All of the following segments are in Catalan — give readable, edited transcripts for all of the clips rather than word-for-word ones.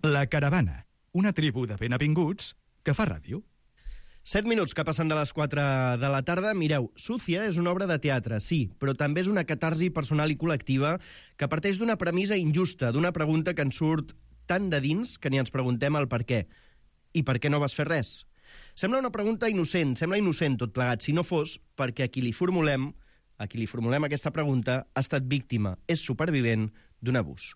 La Caravana, una tribu de benvinguts que fa ràdio. 7 minuts que passen de les 4 de la tarda. Mireu, Sucia és una obra de teatre, sí, però també és una catarsi personal i col·lectiva que parteix d'una premissa injusta, d'una pregunta que ens surt tan de dins que ni ens preguntem el per què. I per què no vas fer res? Sembla una pregunta innocent, sembla innocent tot plegat, si no fos perquè a qui li formulem aquesta pregunta ha estat víctima, és supervivent d'un abús.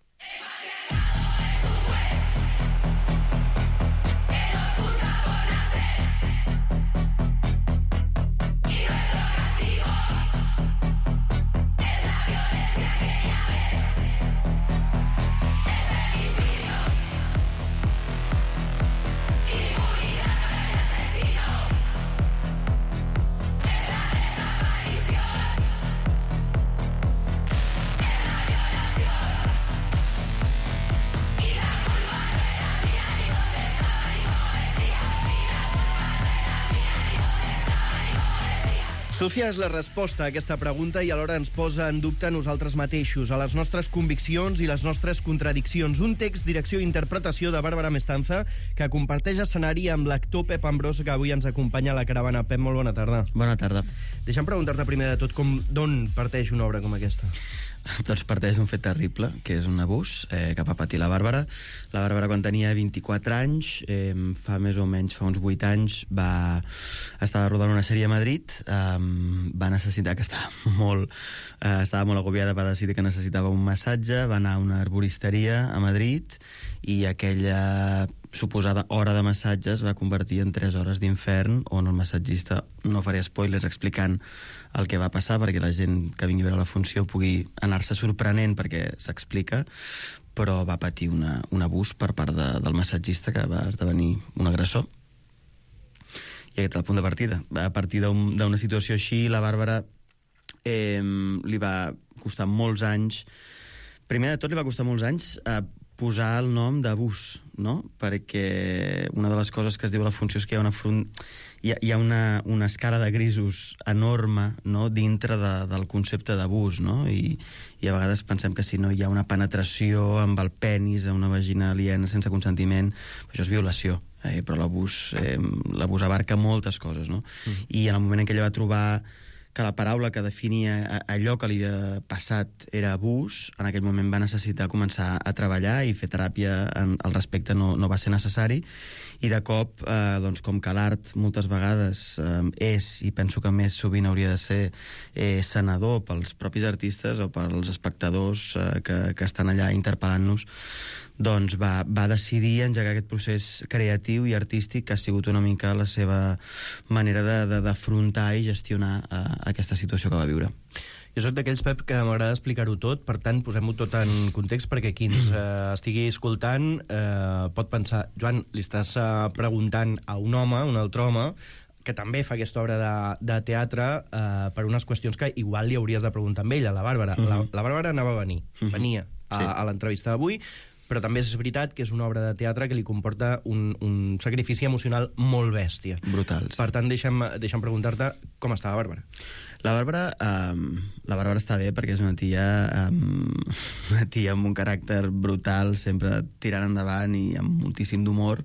Sucia és la resposta a aquesta pregunta i alhora ens posa en dubte a nosaltres mateixos, a les nostres conviccions i les nostres contradiccions. Un text, direcció i interpretació de Bàrbara Mestanza que comparteix escenari amb l'actor Pep Ambrós, que avui ens acompanya a la caravana. Pep, molt bona tarda. Bona tarda. Deixa'm preguntar-te primer de tot d'on parteix una obra com aquesta? Doncs parteix d'un fet terrible, que és un abús que va patir la Bàrbara. La Bàrbara, quan tenia 24 anys, fa més o menys, fa uns 8 anys, estava rodant una sèrie a Madrid, va necessitar, que estava molt agobiada, va decidir que necessitava un massatge, va anar a una arboristeria a Madrid i aquella suposada hora de massatges va convertir en 3 hores d'infern, on el massatgista, no faré spoilers explicant el que va passar perquè la gent que vingui a veure la funció pugui anar-se sorprenent perquè s'explica, però va patir un abús per part del massatgista, que va esdevenir un agressor. I aquest és el punt de partida. A partir d'una situació així, la Bàrbara li va costar molts anys. Primer de tot, li va costar molts anys posar el nom d'abús, no? Perquè una de les coses que es diu a la funció és que hi ha una escala de grisos enorme, no?, dintre del concepte d'abús, no? I a vegades pensem que si no hi ha una penetració amb el penis a una vagina aliena sense consentiment, això és violació. Però l'abús abarca moltes coses, no? I en el moment en què ella va trobar que la paraula que definia allò que li havia passat era abús, en aquell moment va necessitar començar a treballar i fer teràpia al respecte no va ser necessari, i de cop, doncs, com que l'art moltes vegades és, i penso que més sovint hauria de ser sanador pels propis artistes o pels espectadors que estan allà interpel·lant-nos, doncs va decidir engegar aquest procés creatiu i artístic que ha sigut una mica la seva manera d'afrontar i gestionar aquesta situació que va viure. Jo soc d'aquells, Pep, que m'agrada explicar-ho tot, per tant, posem-ho tot en context perquè qui ens estigui escoltant pot pensar, Joan, li estàs preguntant a un home, un altre home, que també fa aquesta obra de teatre per unes qüestions que igual li hauries de preguntar amb ella, la Bàrbara. La Bàrbara venia a l'entrevista d'avui, però també és veritat que és una obra de teatre que li comporta un sacrifici emocional molt bèstia. Brutals. Per tant, deixa'm preguntar-te com està la Bàrbara. La Bàrbara està bé perquè és una tia amb un caràcter brutal, sempre tirant endavant i amb moltíssim d'humor,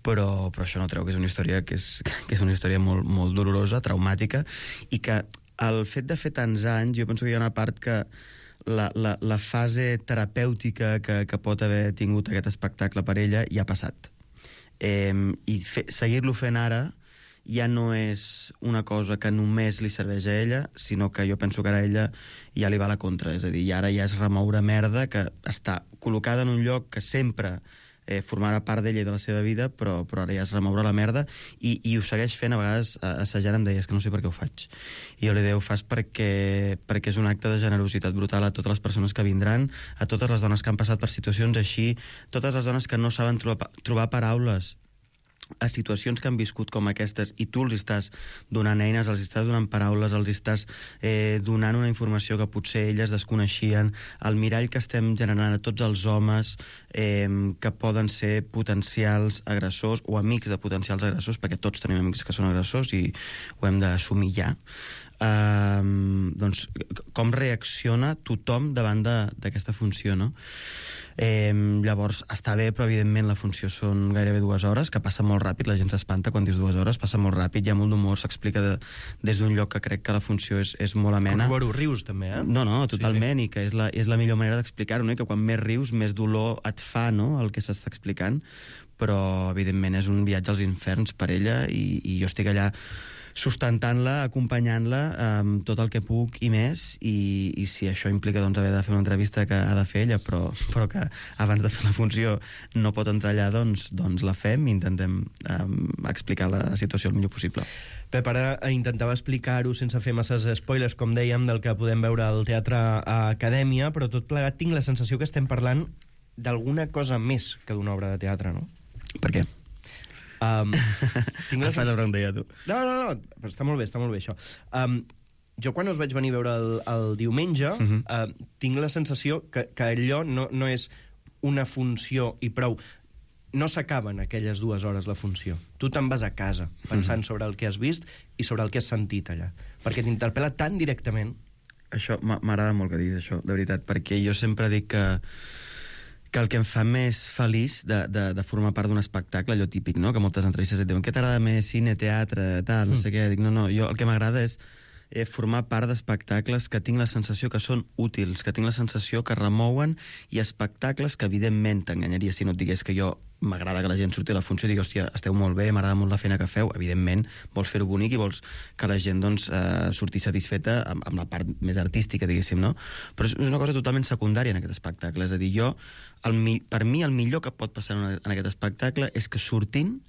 però això no treu que és una història que és una història molt, molt dolorosa, traumàtica, i que el fet de fer tants anys, jo penso que hi ha una part que la fase terapèutica que pot haver tingut aquest espectacle per ella ja ha passat. I seguir-lo fent ara ja no és una cosa que només li serveix a ella, sinó que jo penso que ara a ella ja li va a la contra. És a dir, ara ja és remoure merda que està col·locada en un lloc que sempre formarà part d'ella i de la seva vida, però ara ja és remoure la merda, i ho segueix fent. A vegades assajant em deies que no sé per què ho faig, i jo li deia, ho fas perquè és un acte de generositat brutal a totes les persones que vindran, a totes les dones que han passat per situacions així, totes les dones que no saben trobar paraules a situacions que han viscut com aquestes, i tu els estàs donant eines, els estàs donant paraules, els estàs donant una informació que potser elles desconeixien, el mirall que estem generant a tots els homes que poden ser potencials agressors o amics de potencials agressors, perquè tots tenim amics que són agressors i ho hem d'assumir ja. doncs, com reacciona tothom davant d'aquesta funció, no? Llavors, està bé, però evidentment la funció són gairebé 2 hores, que passa molt ràpid, la gent s'espanta quan dius 2 hores, passa molt ràpid, hi ha molt d'humor, s'explica des d'un lloc que crec que la funció és molt amena. Com rius, també, eh? No, totalment, sí. I que és la millor manera d'explicar-ho, no? I que quan més rius, més dolor et fa, no?, el que s'està explicant, però evidentment és un viatge als inferns per ella, i jo estic allà sustentant-la, acompanyant-la amb tot el que puc i més, i si això implica doncs, haver de fer una entrevista que ha de fer ella, però que abans de fer la funció no pot entrar allà, doncs la fem i intentem explicar la situació el millor possible. Pep, ara intentava explicar-ho sense fer masses spoilers, com dèiem, del que podem veure al Teatre Acadèmia, però tot plegat tinc la sensació que estem parlant d'alguna cosa més que d'una obra de teatre, no? Per què? Tinc la pregunta ja, tu. No, però està molt bé això. Jo quan us vaig venir a veure el diumenge, tinc la sensació que allò no és una funció i prou. No s'acaben aquelles 2 hores la funció. Tu te'n vas a casa pensant sobre el que has vist i sobre el que has sentit allà. Perquè t'interpel·la tan directament. Això m'agrada molt que diguis això, de veritat, perquè jo sempre dic que el que em fa més feliç de formar part d'un espectacle, allò típic, no?, que moltes entrevistes et diuen què t'agrada més, cine, teatre, tal, no sé què. Dic, no, jo el que m'agrada és formar part d'espectacles que tinc la sensació que són útils, que tinc la sensació que remouen, i espectacles que, evidentment, t'enganyaria si no et digués que jo m'agrada que la gent surti a la funció i digui, hòstia, esteu molt bé, m'agrada molt la feina que feu. Evidentment, vols fer-ho bonic i vols que la gent doncs, surti satisfeta amb la part més artística, diguéssim, no? Però és una cosa totalment secundària en aquest espectacle. És a dir, per mi, el millor que pot passar en aquest espectacle és que sortint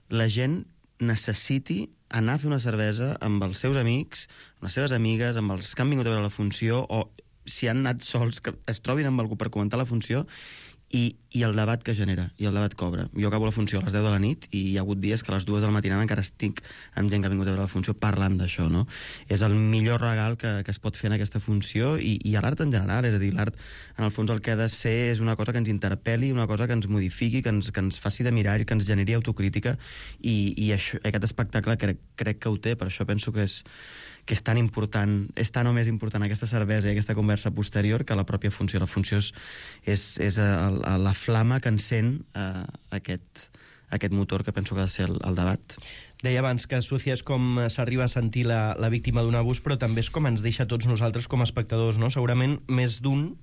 la gent necessiti anar a fer una cervesa amb els seus amics, amb les seves amigues, amb els que han vingut a veure la funció, o si han anat sols, que es trobin amb algú per comentar la funció, i el debat que genera, i el debat que obre. Jo acabo la funció a les 10 de la nit i hi ha hagut dies que a les 2 de la matinada encara estic amb gent que ha vingut a veure la funció parlant d'això, no? És el millor regal que es pot fer en aquesta funció, i a l'art en general. És a dir, l'art, en el fons, el que ha de ser és una cosa que ens interpel·li, una cosa que ens modifiqui, que ens faci de mirall, que ens generi autocrítica, i això, aquest espectacle crec que ho té. Per això penso que és tan important, és tan o més important aquesta cervesa i aquesta conversa posterior que la pròpia funció. La funció és la flama que encén aquest motor que penso que ha de ser el debat. Deia abans que Sucia és com s'arriba a sentir la víctima d'un abús, però també és com ens deixa tots nosaltres com a espectadors, no? Segurament més d'un,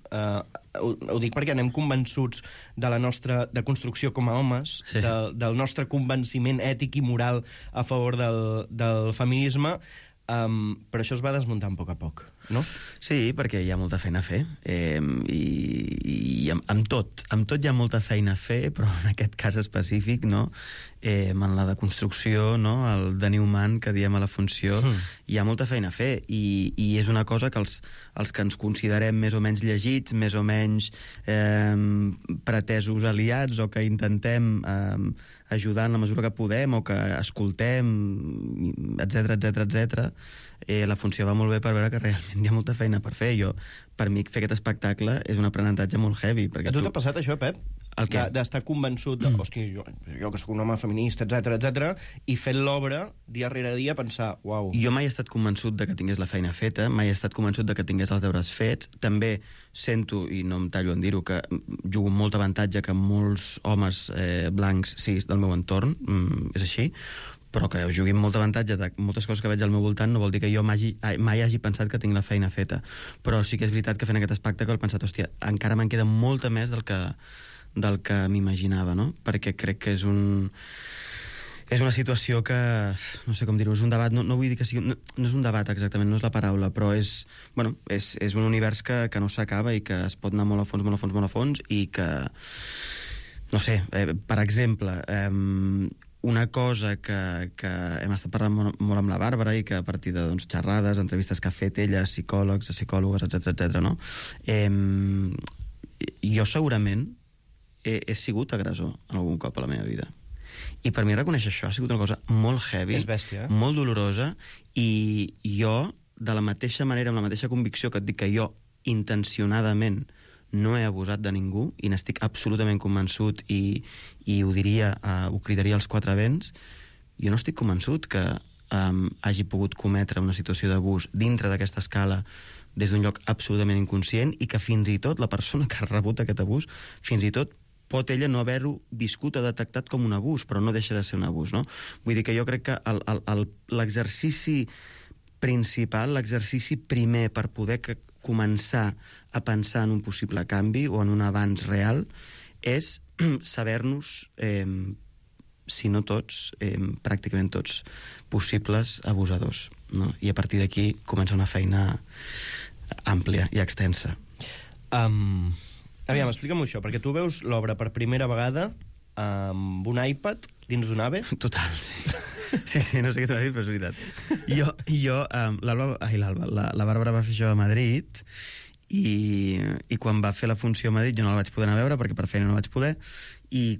ho dic perquè anem convençuts de la nostra deconstrucció com a homes, sí, del nostre convenciment ètic i moral a favor del feminisme, però això es va desmuntant a poc, no? Sí, perquè hi ha molta feina a fer, i amb tot hi ha molta feina a fer, però en aquest cas específic, no? En la deconstrucció, no? El de Newman que diem a la funció, hi ha molta feina a fer, i és una cosa que els que ens considerem més o menys llegits, més o menys pretesos aliats, o que intentem ajudar en la mesura que podem, o que escoltem, etc. La funció va molt bé per veure que realment hi ha molta feina per fer. Per mi, fer aquest espectacle és un aprenentatge molt heavy. A tu t'ha passat això, Pep? D'estar convençut de, hòstia, jo que soc un home feminista, etc, i fent l'obra, dia rere dia, pensar, uau. Jo mai he estat convençut de que tingués la feina feta, mai he estat convençut de que tingués els deures fets. També sento, i no em tallo en dir-ho, que jugo amb molt avantatge que molts homes blancs, cis, del meu entorn, és així, però que jugui amb molt avantatge de moltes coses que veig al meu voltant no vol dir que jo mai hagi pensat que tinc la feina feta. Però sí que és veritat que fent aquest espectacle he pensat, hòstia, encara me'n queda molta més del que m'imaginava, no? Perquè crec que és una situació que, no sé com dir-ho, és un debat, no vull dir que sigui, no és un debat exactament, no és la paraula, però és un univers que no s'acaba i que es pot anar molt a fons, i que, no sé, per exemple, una cosa que hem estat parlant molt amb la Bàrbara, i que a partir de xerrades, entrevistes que ha fet ella, psicòlogs, psicòlogues, etc, no? Jo segurament he sigut agressor en algun cop a la meva vida. I per mi reconèixer això ha sigut una cosa molt heavy, és bèstia, molt dolorosa, i jo, de la mateixa manera, amb la mateixa convicció que et dic que jo intencionadament no he abusat de ningú, i n'estic absolutament convençut, i ho diria, ho cridaria als quatre vents, jo no estic convençut que hagi pogut cometre una situació d'abús dintre d'aquesta escala des d'un lloc absolutament inconscient i que fins i tot la persona que ha rebut aquest abús, fins i tot pot ella no haver-ho viscut o detectat com un abús, però no deixa de ser un abús, no? Vull dir que jo crec que l'exercici principal, l'exercici primer per poder començar a pensar en un possible canvi o en un avanç real és saber-nos, si no tots, pràcticament tots, possibles abusadors, no? I a partir d'aquí comença una feina àmplia i extensa. Aviam, explica'm això, perquè tu veus l'obra per primera vegada amb un iPad dins d'un AVE. Total, sí. Sí, no sé què t'ho dir, però és veritat. La Bàrbara va fer això a Madrid i quan va fer la funció a Madrid jo no la vaig poder anar a veure perquè per feina no vaig poder, i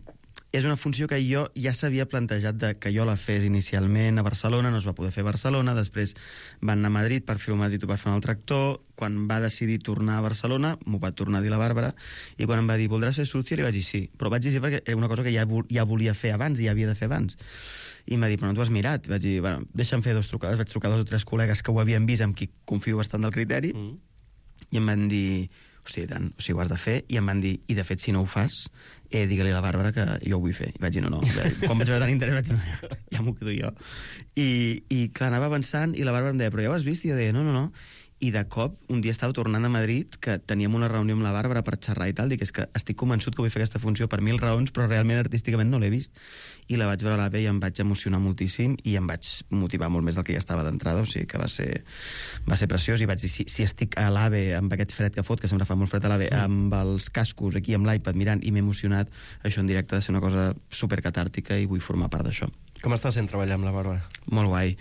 és una funció que jo ja s'havia plantejat que jo la fes inicialment a Barcelona, no es va poder fer a Barcelona, després van anar a Madrid, per fer-ho a Madrid ho va fer un altre actor, quan va decidir tornar a Barcelona m'ho va tornar a dir la Bàrbara, i quan em va dir voldràs fer Sucia, li vaig dir sí, però vaig dir sí perquè era una cosa que ja volia fer abans i ja havia de fer abans. I em va dir, però no t'ho has mirat? Vaig dir, bueno, deixa'm fer 2 trucades, vaig trucar a 2 o 3 col·legues que ho havien vist, amb qui confio bastant del criteri, i em van dir, hòstia, i tant, o sigui, ho has de fer, i em van dir, i de fet, si no ho fas, digue-li a la Bàrbara que jo ho vull fer. I vaig dir, no. Quan vaig veure tant interès vaig dir, no, ja m'ho quedo jo. I clar, anava avançant, i la Bàrbara em deia, però ja ho has vist? I jo deia, no. I de cop, un dia estava tornant a Madrid, que teníem una reunió amb la Bàrbara per xerrar i tal, dic, és que estic convençut que vull fer aquesta funció per 1000 raons, però realment artísticament no l'he vist. I la vaig veure a l'AVE i em vaig emocionar moltíssim i em vaig motivar molt més del que ja estava d'entrada, o sigui que va ser preciós, i vaig dir, si estic a l'AVE amb aquest fred que fot, que sempre fa molt fred a l'AVE, amb els cascos aquí, amb l'iPad mirant, i m'he emocionat, això en directe ha de ser una cosa supercatàrtica i vull formar part d'això. Com està sent treballar amb la Bàrbara? Molt guai,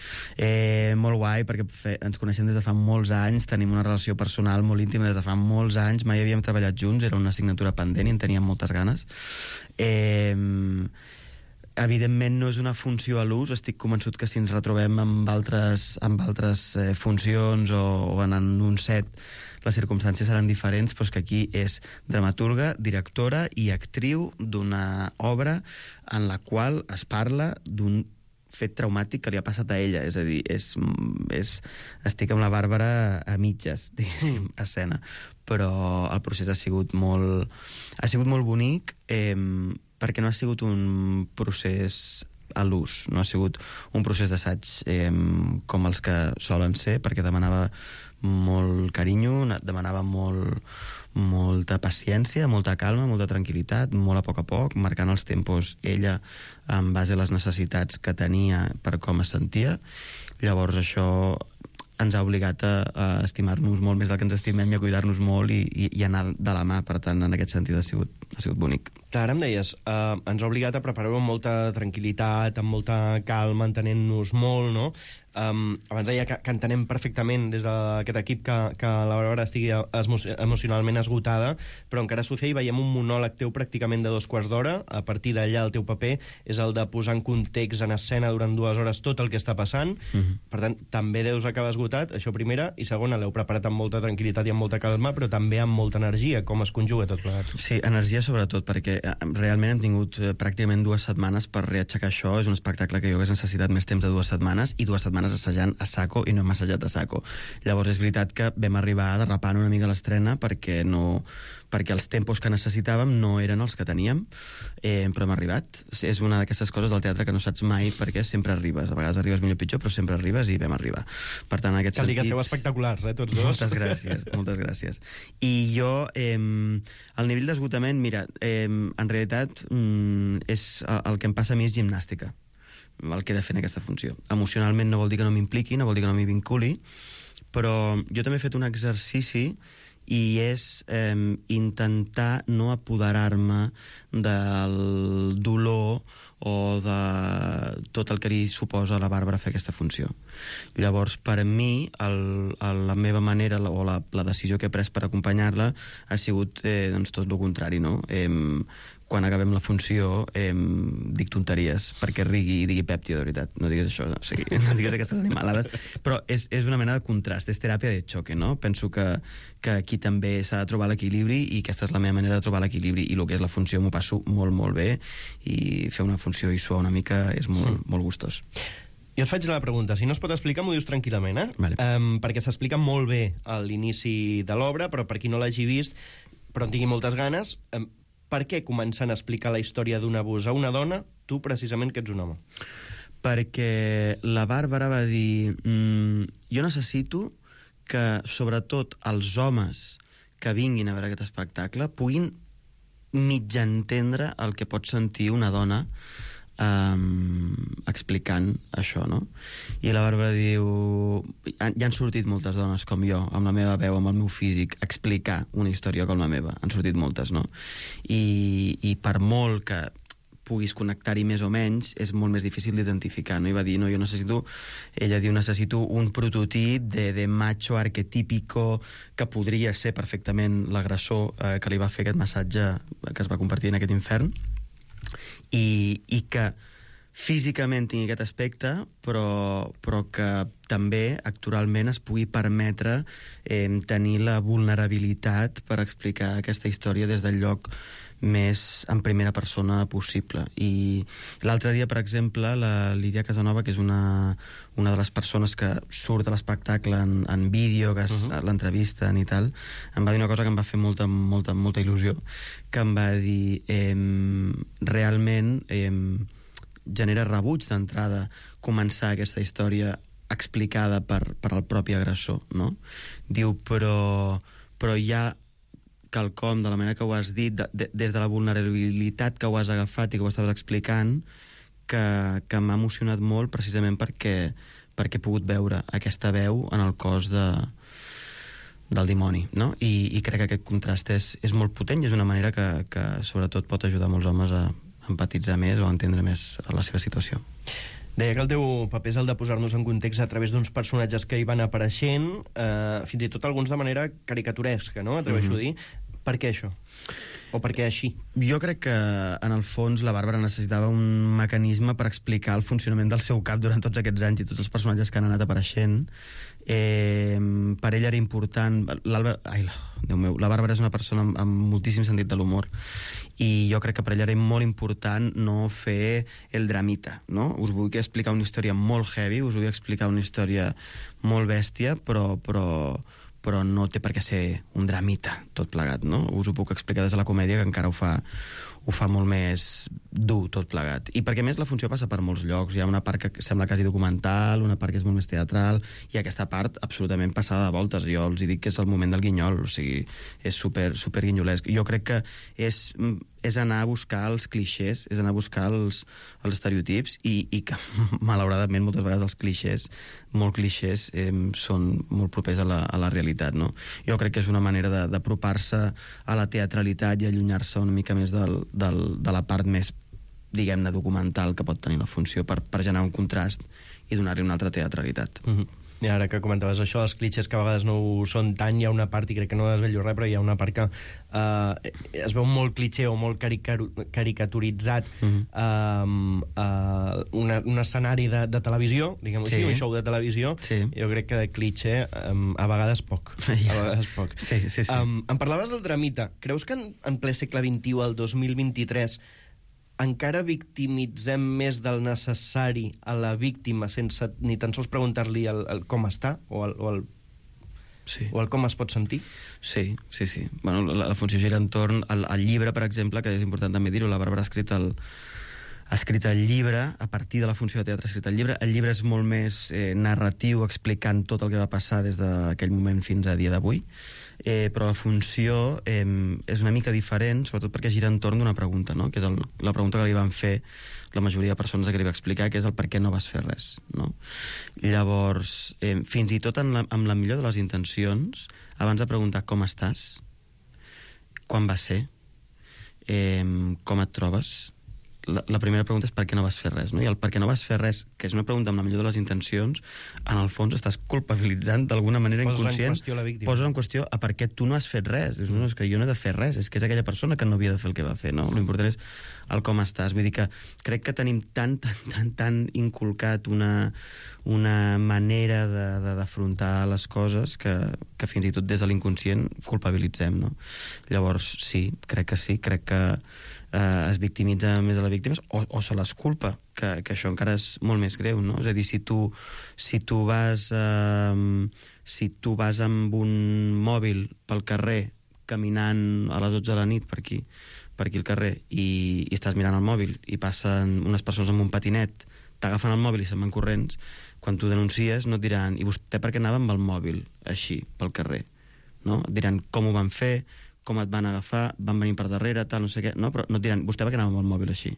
perquè ens coneixem des de fa molts anys, tenim una relació personal molt íntima des de fa molts anys, mai havíem treballat junts, era una assignatura pendent i en teníem moltes ganes. Evidentment no és una funció a l'ús, estic convençut que si ens retrobem amb altres funcions o en un set les circumstàncies seran diferents, però que aquí és dramaturga, directora i actriu d'una obra en la qual es parla d'un fet traumàtic que li ha passat a ella, és a dir, estic amb la Bàrbara a mitges, diguéssim, a escena, però el procés ha sigut molt bonic, perquè no ha sigut un procés a l'ús, no ha sigut un procés d'assaig com els que solen ser, perquè demanava molt carinyo, demanava molta paciència, molta calma, molta tranquil·litat, molt a poc, marcant els tempos ella en base a les necessitats que tenia per com es sentia. Llavors això ens ha obligat a estimar-nos molt més del que ens estimem i a cuidar-nos molt i anar de la mà, per tant, en aquest sentit ha sigut bonic. Clar, ara em deies, ens ha obligat a preparar-ho amb molta tranquil·litat, amb molta calma, entenent-nos molt, no? Abans deia que entenem perfectament des d'aquest equip que la Bàrbara estigui emocionalment esgotada, però encara a Sucia hi veiem un monòleg teu pràcticament de 2 quarts d'hora. A partir d'allà el teu paper és el de posar en context, en escena, durant 2 hores tot el que està passant. Per tant, també deus acabar esgotat, això primera, i segona, l'heu preparat amb molta tranquil·litat i amb molta calma, però també amb molta energia. Com es conjuga tot plegat? Sí, energia sobretot, perquè realment hem tingut pràcticament 2 setmanes per reaixecar això. És un espectacle que jo hagués necessitat més temps de 2 setmanes, i 2 setmanes assajant a saco, i no hem assajat a saco. Llavors és veritat que vam arribar derrapant una mica l'estrena perquè els tempos que necessitàvem no eren els que teníem, però hem arribat. És una d'aquestes coses del teatre que no saps mai perquè sempre arribes. A vegades arribes millor o pitjor, però sempre arribes, i vam arribar. Per tant, en aquest sentit... Cal dir que esteu espectaculars, tots dos. Moltes gràcies. I jo, el nivell d'esgotament, mira, en realitat és el que em passa a mi és gimnàstica, el que he de fer en aquesta funció. Emocionalment no vol dir que no m'impliqui, no vol dir que no m'hi vinculi, però jo també he fet un exercici i és intentar no apoderar-me del dolor o de tot el que li suposa a la Bàrbara fer aquesta funció. Llavors, per a mi, la meva manera o la decisió que he pres per acompanyar-la ha sigut tot el contrari, no? Quan acabem la funció dic tonteries perquè rigui i digui Pep, tio, de veritat, no digues això, no digues aquestes animalades, però és una mena de contrast, és teràpia de xoque, no? Penso que aquí també s'ha de trobar l'equilibri, i aquesta és la meva manera de trobar l'equilibri, i el que és la funció m'ho passo molt, molt bé, i fer una funció i suar una mica és molt gustós. Jo et faig la pregunta. Si no es pot explicar, m'ho dius tranquil·lament, eh? Vale. Perquè s'explica molt bé a l'inici de l'obra, però per qui no l'hagi vist, però en tingui moltes ganes, per què començant a explicar la història d'un abús a una dona, tu precisament que ets un home? Perquè la Bàrbara va dir jo necessito que, sobretot, els homes que vinguin a veure aquest espectacle puguin mig entendre el que pot sentir una dona explicant això, no? I la Bàrbara diu... Ja han sortit moltes dones com jo, amb la meva veu, amb el meu físic, a explicar una història com la meva. Han sortit moltes, no? I per molt que puguis connectar-hi més o menys, és molt més difícil d'identificar, no? I va dir, no, jo necessito... Ella diu, necessito un prototip de macho arquetípico que podria ser perfectament l'agressor que li va fer aquest massatge que es va convertir en aquest infern, i que físicament tingui aquest aspecte, però que també actoralment es pugui permetre tenir la vulnerabilitat per explicar aquesta història des del lloc més en primera persona possible. I l'altre dia, per exemple, la Lídia Casanova, que és una de les persones que surt a l'espectacle en vídeo, que l'entrevisten i tal, em va dir una cosa que em va fer molta il·lusió, que em va dir realment genera rebuig d'entrada començar aquesta història explicada per el propi agressor, no? Diu, però hi ha quelcom, de la manera que ho has dit, des de la vulnerabilitat que ho has agafat i que ho estaves explicant, que m'ha emocionat molt precisament perquè he pogut veure aquesta veu en el cos del dimoni, no? I crec que aquest contrast és molt potent i és una manera que sobretot pot ajudar molts homes a empatitzar més o a entendre més la seva situació. Deia que el teu paper és el de posar-nos en context a través d'uns personatges que hi van apareixent, fins i tot alguns de manera caricaturesca, no? Atreveixo a dir. Per què això? O per què així? Jo crec que, en el fons, la Bàrbara necessitava un mecanisme per explicar el funcionament del seu cap durant tots aquests anys i tots els personatges que han anat apareixent. Per ella era important... Déu meu, la Bàrbara és una persona amb moltíssim sentit de l'humor i jo crec que per ella era molt important no fer el dramita, no? Us vull explicar una història molt heavy, us vull explicar una història molt bèstia, però no té per què ser un dramita tot plegat, no? Us ho puc explicar des de la comèdia, que encara ho fa molt més dur tot plegat. I perquè, més, la funció passa per molts llocs. Hi ha una part que sembla quasi documental, una part que és molt més teatral, i aquesta part absolutament passada de voltes. Jo els dic que és el moment del guinyol, o sigui, és super guinyolesc. Jo crec que és anar a buscar els clixés, és anar a buscar els estereotips, i que, malauradament, moltes vegades els clixés, molt clixés, són molt propers a la realitat, no? Jo crec que és una manera d'apropar-se a la teatralitat i allunyar-se una mica més de la part més, diguem-ne, documental que pot tenir la funció per generar un contrast i donar-li una altra teatralitat. I ara que comentaves això, els clitxers que a vegades no ho són tant, hi ha una part, i crec que no desvello res, però hi ha una part que es veu molt clitxer o molt caricaturitzat un escenari de televisió, diguem-ho així, un show de televisió. Jo crec que de clitxer a vegades poc. Sí. Em parlaves del dramita. Creus que en ple segle XXI, el 2023, encara victimitzem més del necessari a la víctima sense ni tan sols preguntar-li el com està o el com es pot sentir? Sí. Bueno, la funció gira entorn al llibre, per exemple, que és important també dir-ho. La Bàrbara ha escrit el llibre, a partir de la funció de teatre ha escrit el llibre. El llibre és molt més narratiu, explicant tot el que va passar des d'aquell moment fins a dia d'avui. Però la funció és una mica diferent, sobretot perquè gira entorn d'una pregunta, no? Que és la pregunta que li van fer la majoria de persones que li va explicar, que és el per què no vas fer res, no? Llavors, fins i tot amb la millor de les intencions, abans de preguntar com estàs, quan va ser, com et trobes, la primera pregunta és per què no vas fer res, no? I el per què no vas fer res, que és una pregunta amb la millor de les intencions, en el fons estàs culpabilitzant d'alguna manera inconscient. Poses en qüestió a per què tu no has fet res. Dius, no, és que jo no he de fer res, és que és aquella persona que no havia de fer el que va fer, no? L'important és el com estàs. Vull dir que crec que tenim tan inculcat una manera d'afrontar les coses que fins i tot des de l'inconscient culpabilitzem, no? Llavors, sí, crec que es victimitza més de les víctimes o se les culpa, que això encara és molt més greu, no? És a dir, si tu vas amb un mòbil pel carrer caminant a les 12 de la nit per aquí al carrer i estàs mirant el mòbil i passen unes persones amb un patinet, t'agafen el mòbil i se'n van corrents, quan tu denuncies no et diran i vostè per què anava amb el mòbil així pel carrer, no? Et diran com ho van fer, com et van agafar, van venir per darrere, tal, no sé què, no? Però no et diran vostè per què anava amb el mòbil així.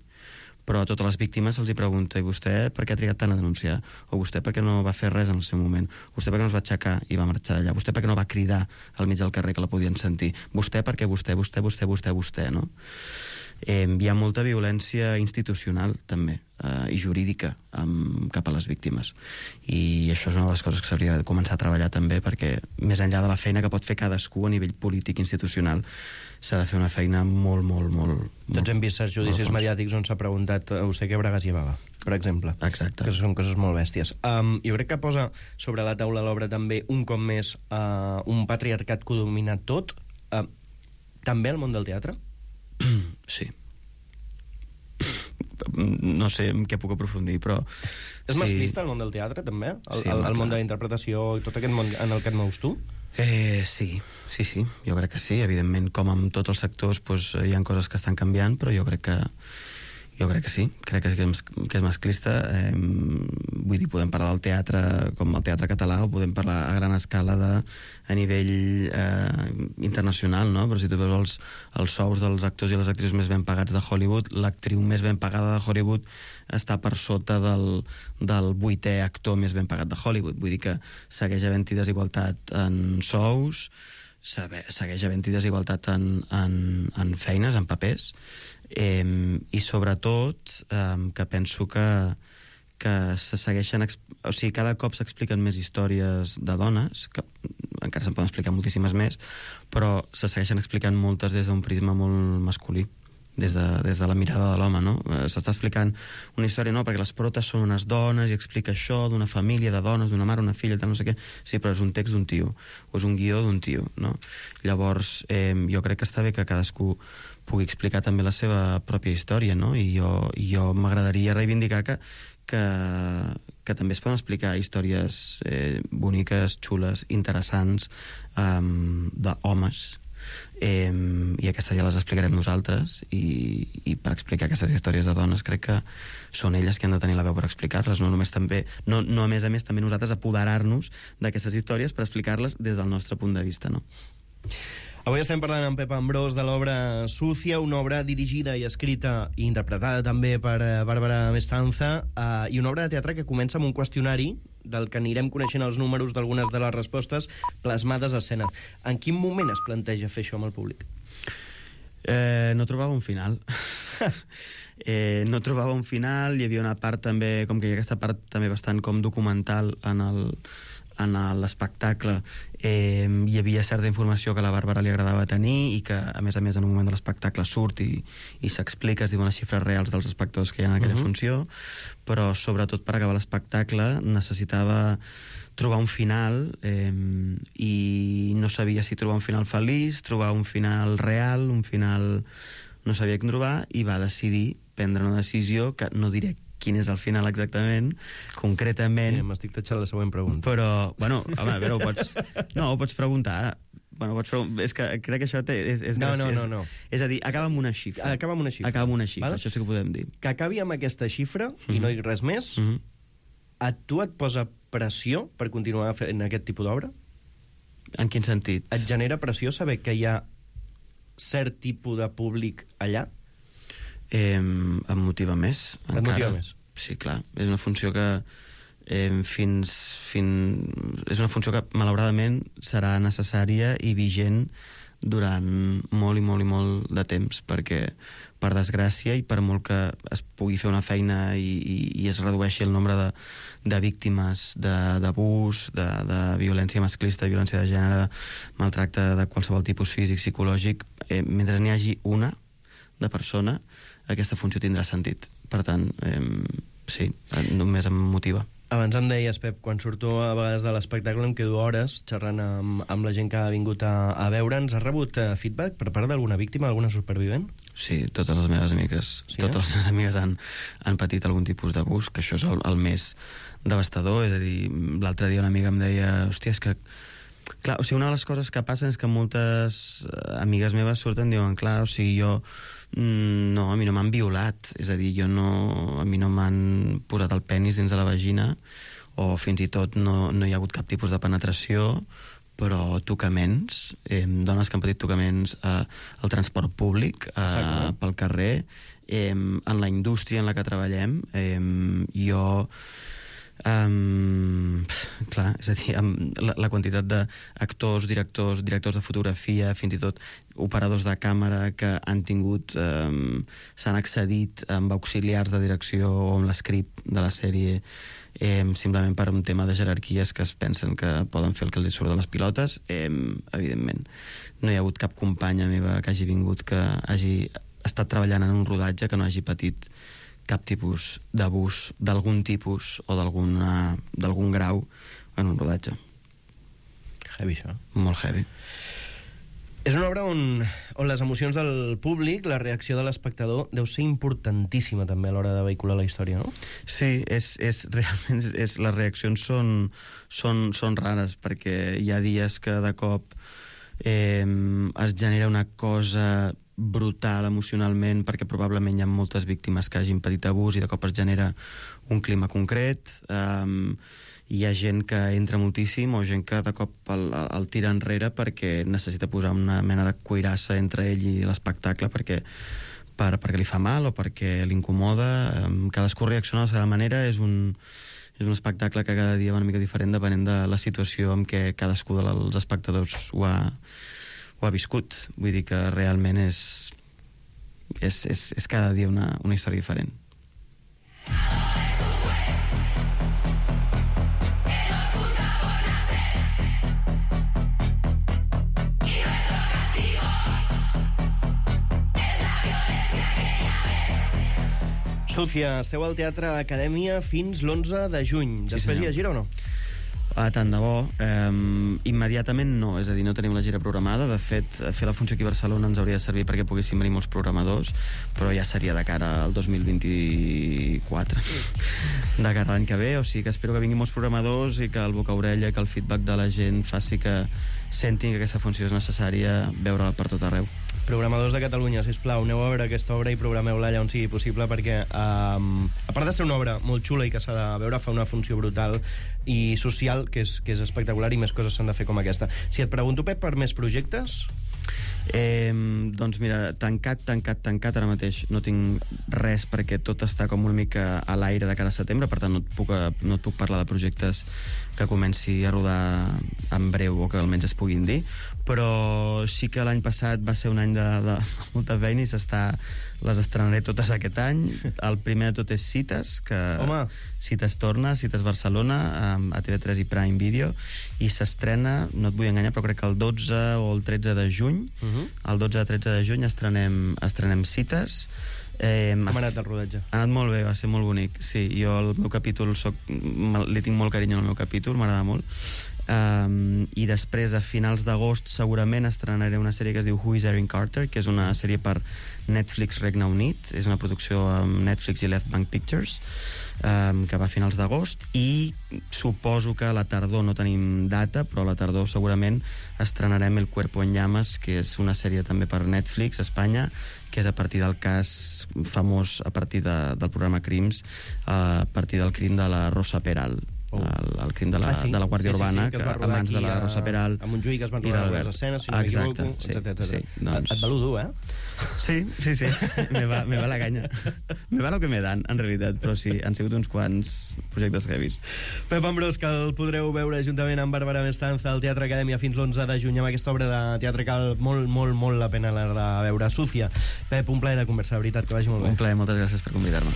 Però a totes les víctimes se'ls pregunta i vostè per què ha trigat tant a denunciar? O vostè per què no va fer res en el seu moment? Vostè per què no es va aixecar i va marxar d'allà? Vostè per què no va cridar al mig del carrer que la podien sentir? Vostè per què vostè, no? Hi ha molta violència institucional, també, i jurídica cap a les víctimes. I això és una de les coses que s'hauria de començar a treballar també, perquè més enllà de la feina que pot fer cadascú a nivell polític institucional, s'ha de fer una feina molt... Doncs hem vist certs judicis mediàtics on s'ha preguntat a vostè què bragues llevava, per exemple. Exacte. Que són coses molt bèsties. Jo crec que posa sobre la taula l'obra també, un cop més, un patriarcat que ho domina tot. També el món del teatre? Sí. No sé en què puc aprofundir, però... És masclista el món del teatre, també? El món de la interpretació i tot aquest món en el que et mous tu? Sí. Jo crec que sí. Evidentment, com en tots els sectors, doncs, hi ha coses que estan canviant, però jo crec que sí. Crec que és masclista. Vull dir, podem parlar del teatre com el teatre català o podem parlar a gran escala a nivell internacional, no? Però si tu veus els sous dels actors i les actrius més ben pagats de Hollywood, l'actriu més ben pagada de Hollywood està per sota del 8è actor més ben pagat de Hollywood. Vull dir que segueix havent-hi desigualtat en sous, segueix havent-hi desigualtat en feines, en papers, i sobretot que penso que se segueixen... O sigui, cada cop s'expliquen més històries de dones, que encara se'n poden explicar moltíssimes més, però se segueixen explicant moltes des d'un prisma molt masculí, des de la mirada de l'home, no? S'està explicant una història, no, perquè les protes són unes dones i explica això d'una família de dones, d'una mare, una filla, tal, no sé què. Sí, però és un text d'un tio, o és un guió d'un tio, no? Llavors, jo crec que està bé que cadascú pugui explicar també la seva pròpia història, no? I jo m'agradaria reivindicar que també es poden explicar històries boniques, xules, interessants, d'homes, i aquestes ja les explicarem nosaltres, i per explicar aquestes històries de dones crec que són elles que han de tenir la veu per explicar-les, no només també, no a més també nosaltres apoderar-nos d'aquestes històries per explicar-les des del nostre punt de vista, no? Avui estem parlant amb Pep Ambrós de l'obra Sucia, una obra dirigida i escrita i interpretada també per Bàrbara Mestanza, i una obra de teatre que comença amb un qüestionari del que anirem coneixent els números d'algunes de les respostes plasmades a escena. En quin moment es planteja fer això amb el públic? No trobava un final. No trobava un final, hi havia una part també, com que hi ha aquesta part també bastant com documental en l'espectacle, hi havia certa informació que a la Bàrbara li agradava tenir i que, a més, en un moment de l'espectacle surt i s'explica, es diuen les xifres reals dels espectadors que hi ha en aquella funció, però sobretot per acabar l'espectacle necessitava trobar un final, i no sabia si trobar un final feliç, trobar un final real, un final... no sabia què trobar, i va decidir prendre una decisió que no diré quin és el final exactament, concretament... M'estic tatxant la següent pregunta. Però, bueno, home, a veure, ho pots preguntar. Bueno, és que crec que això és graciós. No. És a dir, acaba amb una xifra. Acaba amb una xifra. Vale? Això sí que ho podem dir. Que acabi amb aquesta xifra, i no dic res més, a tu et posa pressió per continuar fent aquest tipus d'obra? En quin sentit? Et genera pressió saber que hi ha cert tipus de públic allà? Em motiva més. Et motiva més? Sí, clar. És una funció que és una funció que malauradament serà necessària i vigent durant molt i molt i molt de temps, perquè per desgràcia i per molt que es pugui fer una feina i es redueixi el nombre de víctimes d'abús, de violència masclista, de violència de gènere, maltracte de qualsevol tipus físic, psicològic, mentre n'hi hagi una de persona, aquesta funció tindrà sentit. Per tant, sí, només em motiva. Abans em deies, Pep, quan surto a vegades de l'espectacle em quedo hores xerrant amb la gent que ha vingut a veure'ns. Has rebut feedback per part d'alguna víctima, alguna supervivent? Sí, totes les meves amigues. Sí, totes les meves amigues han patit algun tipus d'abús, que això és el més devastador. És a dir, l'altre dia una amiga em deia, hòstia, és que... Clar, o sigui, una de les coses que passen és que moltes amigues meves surten i diuen, clar, o sigui, jo... No, a mi no m'han violat, és a dir, a mi no m'han posat el penis dins de la vagina, o fins i tot no hi ha hagut cap tipus de penetració, però tocaments, dones que han patit tocaments al transport públic, pel carrer, en la indústria en la que treballem, clar, és a dir, la quantitat d'actors, directors de fotografia, fins i tot operadors de càmera que han tingut, s'han accedit amb auxiliars de direcció o amb l'escript de la sèrie, simplement per un tema de jerarquies que es pensen que poden fer el que els surt de les pilotes. Evidentment, no hi ha hagut cap companya meva que hagi vingut, que hagi estat treballant en un rodatge, que no hagi patit cap tipus d'abús d'algun tipus o d'algun grau en un rodatge. Heavy, això. Molt heavy. És una obra on les emocions del públic, la reacció de l'espectador, deu ser importantíssima també a l'hora de vehicular la història, no? Sí, realment les reaccions són rares, perquè hi ha dies que de cop es genera una cosa brutal emocionalment, perquè probablement hi ha moltes víctimes que hagin patit abús i de cop es genera un clima concret. Hi ha gent que entra moltíssim o gent que de cop el tira enrere perquè necessita posar una mena de cuirassa entre ell i l'espectacle perquè li fa mal o perquè l'incomoda. Cadascú reacciona de la seva manera. És un espectacle que cada dia va una mica diferent depenent de la situació en què cadascú dels espectadors ho ha viscut. Vull dir que realment és cada dia una història diferent. Súcia, esteu al Teatre Acadèmia fins l'11 de juny. Després hi ha gira o no? Tant de bo. Immediatament no, és a dir, no tenim la gira programada. De fet, fer la funció aquí a Barcelona ens hauria de servir perquè poguessin venir molts programadors, però ja seria de cara al 2024, de cara a l'any que ve. O sigui que espero que vinguin molts programadors i que el boca-orella, que el feedback de la gent faci que sentin que aquesta funció és necessària veure-la per tot arreu. Programadors de Catalunya, sisplau, aneu a veure aquesta obra i programeu-la allà on sigui possible, perquè a part de ser una obra molt xula i que s'ha de veure, fa una funció brutal i social que és espectacular, i més coses s'han de fer com aquesta. Si et pregunto, Pep, per més projectes? Doncs mira, tancat ara mateix no tinc res, perquè tot està com una mica a l'aire de cara a setembre, per tant no et puc parlar de projectes que comenci a rodar en breu o que almenys es puguin dir, però sí que l'any passat va ser un any de molta feina i les estrenaré totes aquest any. El primer de tot és Cites, que Cites torna, Cites Barcelona, a TV3 i Prime Video, i s'estrena, no et vull enganyar, però crec que el 12 o el 13 de juny, el 12 o 13 de juny estrenem Cites. Com ha anat el rodatge? Ha anat molt bé, va ser molt bonic. Sí, jo el meu capítol li tinc molt carinyo al meu capítol, m'agrada molt. I després, a finals d'agost, segurament estrenaré una sèrie que es diu Who is Erin Carter, que és una sèrie per Netflix Regne Unit. És una producció amb Netflix i Left Bank Pictures, que va a finals d'agost, i suposo que a la tardor no tenim data, però a la tardor segurament estrenarem El Cuerpo en Llamas, que és una sèrie també per Netflix, Espanya, que és a partir del cas famós, a partir del programa Crims, a partir del crim de la Rosa Peral. El crim de la Guàrdia Urbana, que es va rodar amants de la Rosa Peral a Montjuïc, es van rodar les escenes, si no m'equivoco, etc. Et valo dur, eh? Sí, me va la canya. Me va lo que me dan, en realitat, però sí, han sigut uns quants projectes heavies. Pep Ambrós, que el podreu veure juntament amb Bàrbara Mestanza al Teatre Acadèmia fins l'11 de juny amb aquesta obra de teatre que val molt la pena anar a veure. Súcia, Pep, un plaer de conversar, de veritat, que vagi molt bé. Un plaer, moltes gràcies per convidar-me.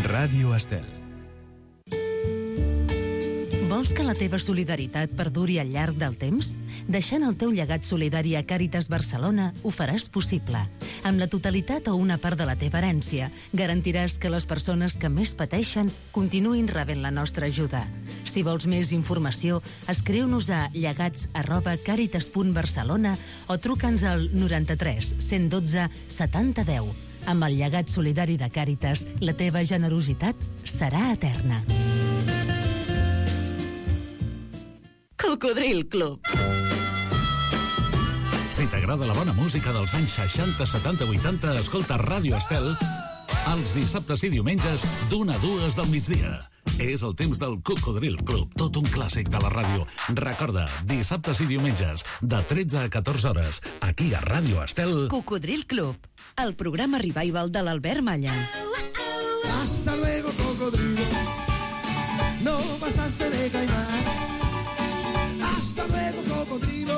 Ràdio Estel. Bon Vols que la teva solidaritat perduri al llarg del temps? Deixant el teu llegat solidari a Càritas Barcelona ho faràs possible. Amb la totalitat o una part de la teva herència, garantiràs que les persones que més pateixen continuïn rebent la nostra ajuda. Si vols més informació, escriu-nos a llegats@caritas.barcelona o truca'ns al 93 112 70 10. Amb el llegat solidari de Càritas, la teva generositat serà eterna. Cocodril Club. Si t'agrada la bona música dels anys 60, 70, 80, escolta Ràdio Estel els dissabtes i diumenges d'1 a 2 del migdia. És el temps del Cocodril Club, tot un clàssic de la ràdio. Recorda, dissabtes i diumenges, de 13 a 14 hores, aquí a Ràdio Estel. Cocodril Club, el programa revival de l'Albert Malla. Hasta luego, cocodrilo. No pasaste de caimán. Hasta luego, cocodrilo.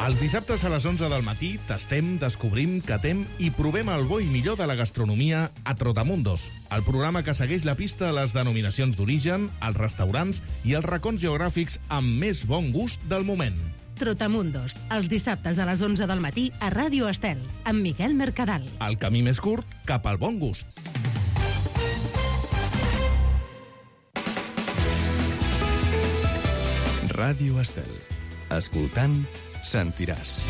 Els dissabtes a les 11 del matí tastem, descobrim, catem i provem el bo i millor de la gastronomia a Trotamundos, el programa que segueix la pista a les denominacions d'origen, els restaurants i els racons geogràfics amb més bon gust del moment. Trotamundos, els dissabtes a les 11 del matí a Ràdio Estel, amb Miquel Mercadal. El camí més curt cap al bon gust. Ràdio Estel. Escoltant, sentiràs.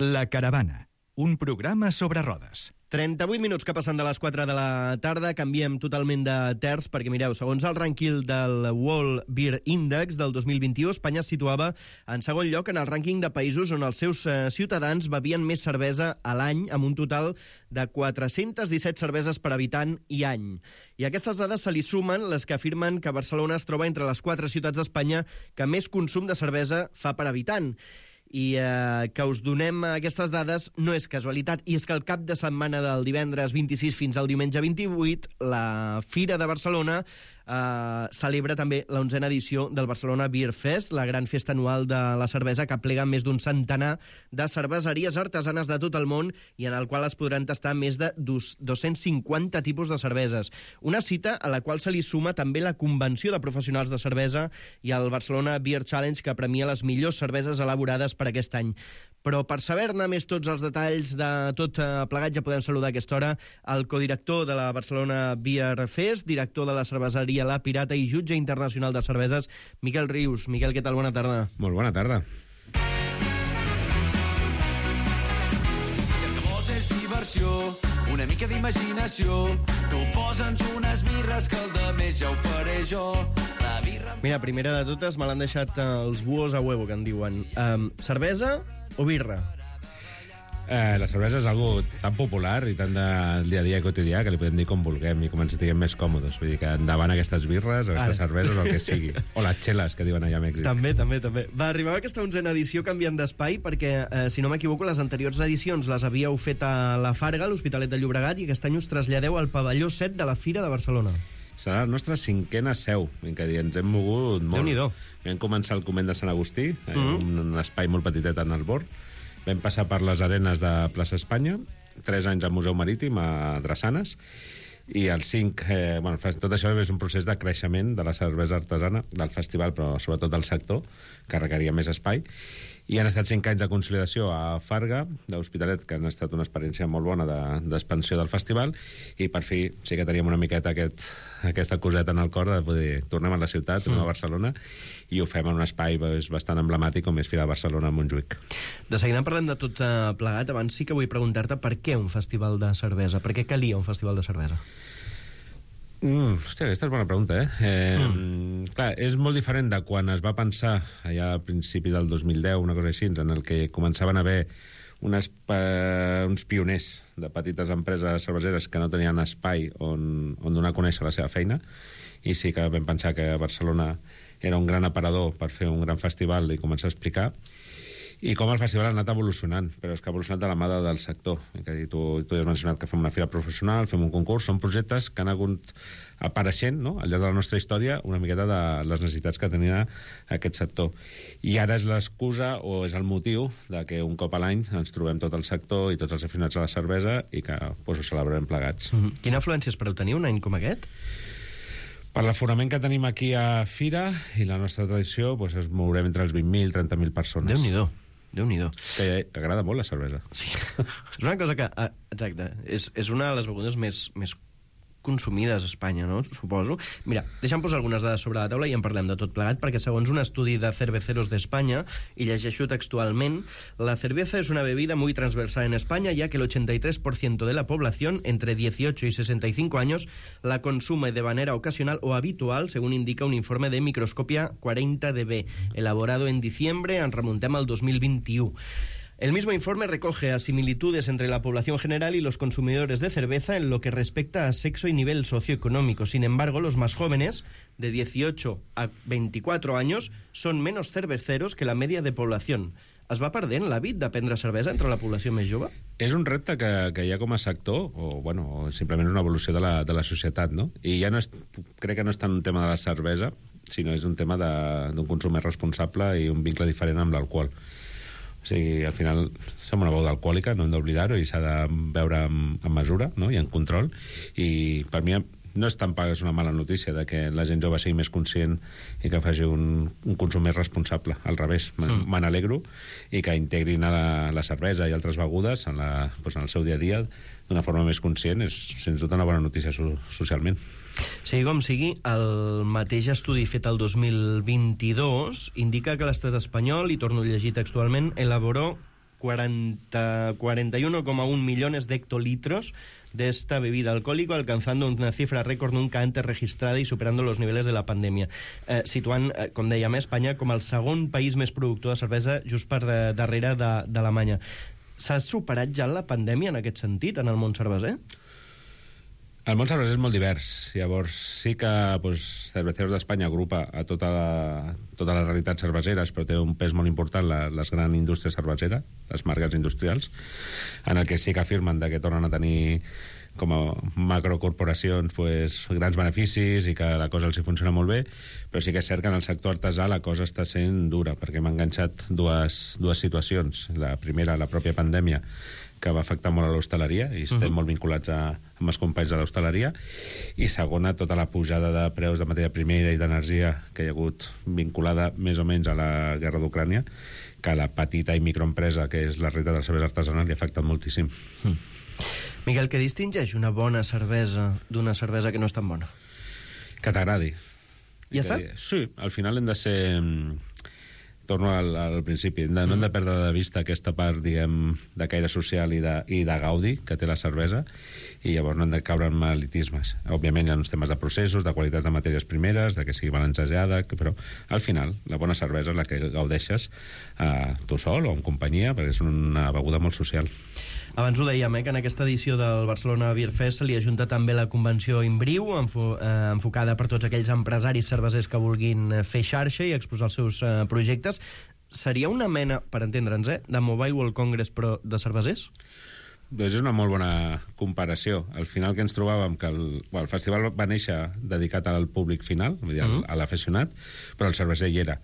La Caravana, un programa sobre rodes. 38 minuts que passen de les 4 de la tarda, canviem totalment de terç, perquè mireu, segons el rànquing del World Beer Index del 2021, Espanya es situava en segon lloc en el rànquing de països on els seus ciutadans bevien més cervesa a l'any, amb un total de 417 cerveses per habitant i any. I a aquestes dades se li sumen les que afirmen que Barcelona es troba entre les 4 ciutats d'Espanya que més consum de cervesa fa per habitant. I que us donem aquestes dades no és casualitat, i és que el cap de setmana del divendres 26 fins al diumenge 28, la Fira de Barcelona celebra també la 11a edició del Barcelona Beer Fest, la gran festa anual de la cervesa que aplega més d'un centenar de cerveseries artesanes de tot el món i en el qual es podran tastar més de 250 tipus de cerveses. Una cita a la qual se li suma també la Convenció de Professionals de Cervesa i el Barcelona Beer Challenge, que premia les millors cerveses elaborades per aquest any. Però per saber-ne més tots els detalls de tot plegat, ja podem saludar a aquesta hora el codirector de la Barcelona Beer Fest, director de la cerveseria La Pirata i jutge internacional de cerveses, Miquel Rius. Miquel, què tal? Bona tarda. Molt bona tarda. Si el que vols és diversió, una mica d'imaginació, tu posa'ns unes birres que el de més ja ho faré jo. La birra... Mira, primera de totes, me l'han deixat els buos a huevo, que en diuen. Cervesa o birra? La cervesa és algo tan popular i tan del dia a dia quotidià que li podem dir com vulguem i com ens sentiguem més còmodes. Vull dir que endavant aquestes birres o aquestes cerveses o el que sigui. O les xeles, que diuen allà a Mèxic. També. Va arribar aquesta 11a edició canviant d'espai perquè, si no m'equivoco, les anteriors edicions les havíeu fet a la Farga, a l'Hospitalet de Llobregat, i aquest any us traslladeu al pavelló 7 de la Fira de Barcelona. Serà la nostra 5a seu, en què ens hem mogut molt. Déu-n'hi-do. Vam començar al convent de Sant Agustí, un espai molt petitet en el bord. Vam passar per les arenes de Plaça Espanya, 3 anys al Museu Marítim, a Drassanes, i el 5... tot això és un procés de creixement de la cervesa artesana, del festival, però sobretot del sector, que requeria més espai. I han estat 5 anys de consolidació a Farga, de l'Hospitalet, que han estat una experiència molt bona d'expansió del festival, i per fi sí que teníem una miqueta aquesta coseta en el cor de poder tornar a la ciutat, tornar a Barcelona, i ho fem en un espai bastant emblemàtic com és Fira de Barcelona a Montjuïc. De seguida parlem de tot plegat. Abans sí que vull preguntar-te per què un festival de cervesa? Per què calia un festival de cervesa? Hòstia, aquesta és bona pregunta, Clar, és molt diferent de quan es va pensar allà al principi del 2010, una cosa així, en el que començaven a haver uns pioners de petites empreses cerveseres que no tenien espai on donar a conèixer la seva feina, i sí que vam pensar que Barcelona era un gran aparador per fer un gran festival i començar a explicar. i com el festival ha anat evolucionant, però és que ha evolucionat de la mà del sector. Tu has mencionat que fem una fira professional, fem un concurs, són projectes que han hagut apareixent, no?, al llarg de la nostra història una miqueta de les necessitats que tenia aquest sector. I ara és l'excusa o és el motiu de que un cop a l'any ens trobem tot el sector i tots els aficionats a la cervesa i que ho celebrem plegats. Quina afluència espereu tenir un any com aquest? Per l'aforament que tenim aquí a Fira i la nostra tradició, es mourem entre els 20.000 i 30.000 persones. Déu-n'hi-do. Que agrada molt la cervesa. Sí. És una cosa que... Exacte. És una de les begudes més consumides a Espanya, no? Suposo. Mira, deixa'm posar algunes dades sobre la taula i en parlem de tot plegat, perquè segons un estudi de Cerveceros d'Espanya, y llegeixo textualment, la cerveza es una bebida muy transversal en España, ya que el 83% de la población entre 18 y 65 años la consume de manera ocasional o habitual, según indica un informe de Microscopia 40DB, elaborado en diciembre, en remontem al 2021. El mismo informe recoge similitudes entre la población general y los consumidores de cerveza en lo que respecta a sexo y nivel socioeconómico. Sin embargo, los más jóvenes, de 18 a 24 años, son menos cerveceros que la media de población. Es va perdent l'hàbit de prendre cervesa entre la població més jove? És un repte que hi ha com a sector, o simplement una evolució de la societat, no? I ja crec que no és tant un tema de la cervesa, sinó és un tema d'un consum més responsable i un vincle diferent amb l'alcohol. O sigui, al final som una beguda alcohòlica, no hem d'oblidar-ho, i s'ha de veure amb mesura, no?, i en control. I per mi no és tampoc una mala notícia de que la gent jove sigui més conscient i que faci un consum més responsable. Al revés, me n'alegro, i que integrin la cervesa i altres begudes en el seu dia a dia d'una forma més conscient és, sens dubte, una bona notícia socialment. Sigui com sigui, el mateix estudi fet el 2022 indica que l'estat espanyol, i torno a llegir textualment, elaboró 41,1 millones de hectolitros de esta bebida alcohólica, alcanzando una cifra récord nunca antes registrada y superando los niveles de la pandèmia. Situant, com dèiem, Espanya com el segon país més productor de cervesa, just per darrere d'Alemanya. S'ha superat ja la pandèmia en aquest sentit, en el món cerveser? El món cerveser és molt divers. Llavors, sí que Cerveceros d'Espanya agrupa a totes les realitats cerveseres, però té un pes molt important les grans indústries cerveseres, les marques industrials, en el que sí que afirmen que tornen a tenir com a macrocorporacions grans beneficis i que la cosa els hi funciona molt bé, però sí que és cert que en el sector artesà la cosa està sent dura, perquè m'ha enganxat dues situacions. La primera, la pròpia pandèmia, que va afectar molt a l'hostaleria, i estem molt vinculats amb els companys de l'hostaleria, i segona, tota la pujada de preus de matèria primera i d'energia que hi ha hagut vinculada més o menys a la guerra d'Ucrània, que la petita i microempresa, que és la realitat de la cervesa artesanal, li ha afectat moltíssim. Miquel, què distingeix una bona cervesa d'una cervesa que no és tan bona? Que t'agradi. Ja està? Sí, al final hem de ser... Torno al principi. No hem de perdre de vista aquesta part, diguem, de caire social i de gaudi que té la cervesa, i llavors no hem de caure en elitismes. Òbviament hi ha uns temes de processos, de qualitats de matèries primeres, de que sigui balancejada, però al final la bona cervesa és la que gaudeixes tu sol o en companyia, perquè és una beguda molt social. Abans ho dèiem, que en aquesta edició del Barcelona Beer Fest se li ajunta també la convenció Imbriu, enfocada per tots aquells empresaris cervesers que vulguin fer xarxa i exposar els seus projectes. Seria una mena, per entendre'ns, de Mobile World Congress, però de cervesers? Doncs és una molt bona comparació. Al final que ens trobàvem que el festival va néixer dedicat al públic final, vull dir, a l'aficionat, però el cerveser hi era.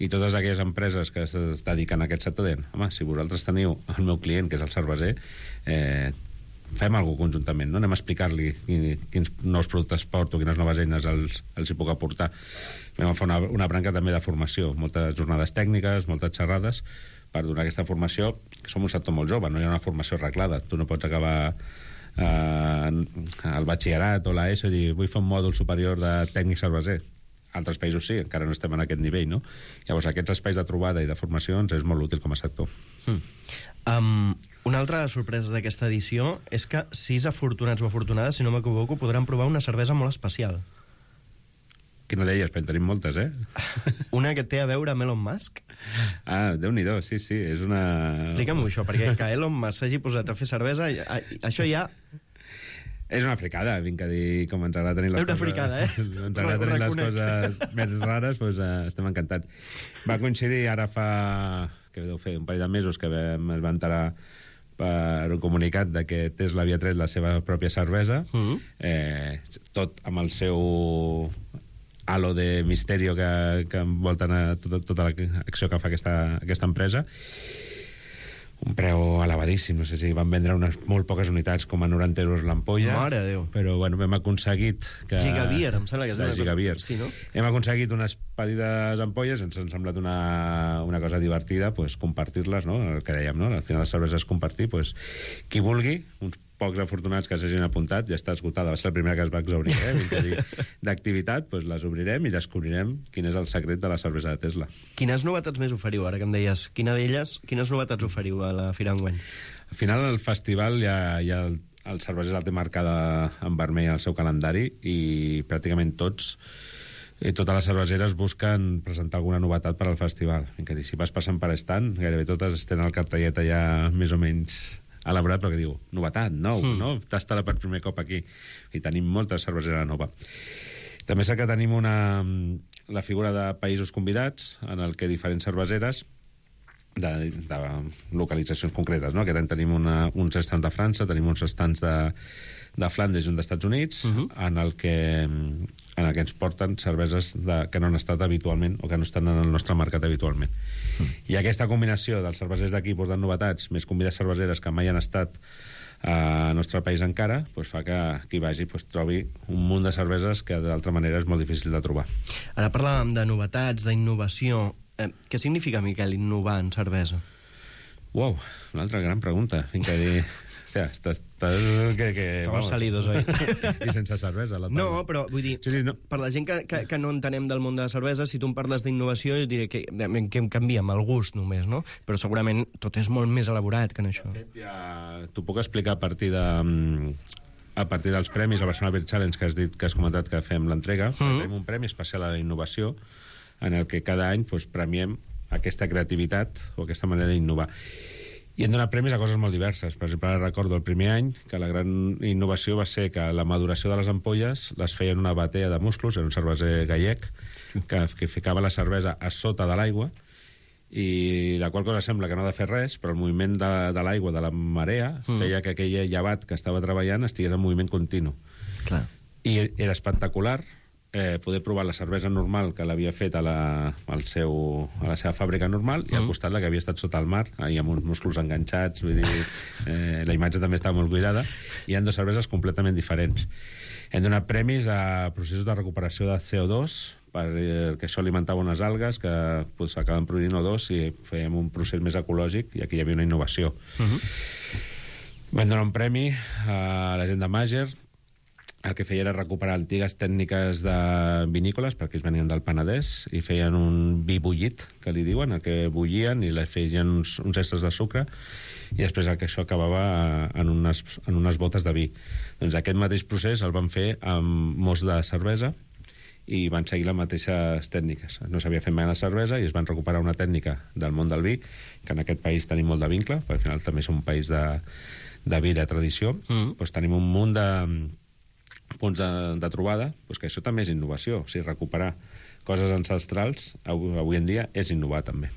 I totes aquelles empreses que es dediquen a aquest sector deien, home, si vosaltres teniu el meu client, que és el cerveser, fem alguna cosa conjuntament, no? Anem a explicar-li quins nous productes porto, quines noves eines els hi puc aportar. Vam fer una branca també de formació, moltes jornades tècniques, moltes xerrades, per donar aquesta formació, que som un sector molt jove, no hi ha una formació arreglada. Tu no pots acabar el batxillerat o l'ESO i dir, vull fer un mòdul superior de tècnic cerveser. Altres països sí, encara no estem en aquest nivell, no? Llavors, aquests espais de trobada i de formacions és molt útil com a sector. Una altra sorpresa d'aquesta edició és que 6 afortunats o afortunades, si no m'equivoco, podran provar una cervesa molt especial. Quina d'elles? Però en tenim moltes, Una que té a veure amb Elon Musk? Déu-n'hi-do, sí, és una... Explica'm-ho això, perquè que Elon Musk s'hagi posat a fer cervesa, això ja... És una fricada, vinc a dir com ens agrada tenir les coses... Una fricada, Ens agrada tenir les coses més rares, doncs estem encantats. Va coincidir ara fa que deu fer un parell de mesos que es va enterar per un comunicat de que Tesla havia tret la seva pròpia cervesa, tot amb el seu halo de misterio que envolten a tota l'acció que fa aquesta empresa. Un preu elevadíssim, no sé si van vendre unes molt poques unitats, com a 90 euros l'ampolla. Mare de Déu. Però, bueno, hem aconseguit que... Gigabeer, em sembla que és una Gigabeer. Sí, no? Hem aconseguit unes petites ampolles, ens han semblat una cosa divertida, pues, compartir-les, no? El que dèiem, no? Al final les cerveses és compartir, pues, qui vulgui, uns pocs afortunats que s'hagin apuntat, ja està esgotada, va ser la primera que es va exaurir, d'activitat, doncs les obrirem i descobrirem quin és el secret de la cervesa de Tesla. Quines novetats més oferiu, ara que em deies? Quines novetats oferiu a la Fira enguany? Al final, al festival ja el cerveser el té marcada en vermell al seu calendari i pràcticament totes les cerveseres busquen presentar alguna novetat per al festival. Si vas passant per stand, gairebé totes tenen el cartellet ja més o menys elaborat, però que diu, novetat, nou, no? Tasta-la per primer cop aquí. I tenim molta cervesera nova. També sé que tenim la figura de països convidats, en el que diferents cerveseres de localitzacions concretes, no? Aquest any tenim uns estants de França, tenim uns estants de Flandes i un d'Estats Units, en el que ens porten cerveses que no han estat habitualment o que no estan en el nostre mercat habitualment. I aquesta combinació dels cervesers d'aquí portant novetats, més convidats cerveseres que mai han estat al nostre país encara, fa que qui vagi trobi un munt de cerveses que d'altra manera és molt difícil de trobar. Ara parlàvem de novetats, d'innovació. Què significa, Miquel, innovar en cervesa? Uau, una altra gran pregunta. Fins que dir... Estàs salidos, oi? I sense cervesa. No, però vull dir, per la gent que no entenem del món de la cervesa, si tu em parles d'innovació, jo diré que em canvia amb el gust només, no? Però segurament tot és molt més elaborat que en això. De fet, t'ho puc explicar a partir dels premis, el Barcelona Beer Challenge, que has dit, que has comentat que fem l'entrega. Tenim un premi especial a la innovació, en el que cada any premiem aquesta creativitat o aquesta manera d'innovar. I hem donat premis a coses molt diverses. Per exemple, ara recordo el primer any que la gran innovació va ser que la maduració de les ampolles les feia en una batea de musclos, era un cerveser gallec, que ficava la cervesa a sota de l'aigua, i la qual cosa sembla que no ha de fer res, però el moviment de l'aigua, de la marea, feia que aquell llevat que estava treballant estigués en moviment continu. Clar. I era espectacular poder provar la cervesa normal que l'havia fet a la seva fàbrica normal i al costat la que havia estat sota el mar i amb uns musclos enganxats, vull dir, la imatge també estava molt cuidada, i hi ha dues cerveses completament diferents. Hem donat premis a processos de recuperació de CO2 perquè això alimentava unes algues que acaben produint O2 i fèiem un procés més ecològic, i aquí hi havia una innovació. Vam donar un premi a la gent de Màger. El que feia era recuperar antigues tècniques de vinícoles, perquè ells venien del Penedès, i feien un vi bullit, que li diuen, el que bullien, i li feien uns extres de sucre, i després això acabava en unes botes de vi. Doncs aquest mateix procés el van fer amb most de cervesa, i van seguir les mateixes tècniques. No s'havia fet mai la cervesa, i es van recuperar una tècnica del món del vi, que en aquest país tenim molt de vincle, perquè al final també som un país de vi de tradició. Doncs tenim un munt de punts de trobada, que això també és innovació. O sigui, recuperar coses ancestrals avui en dia és innovar també.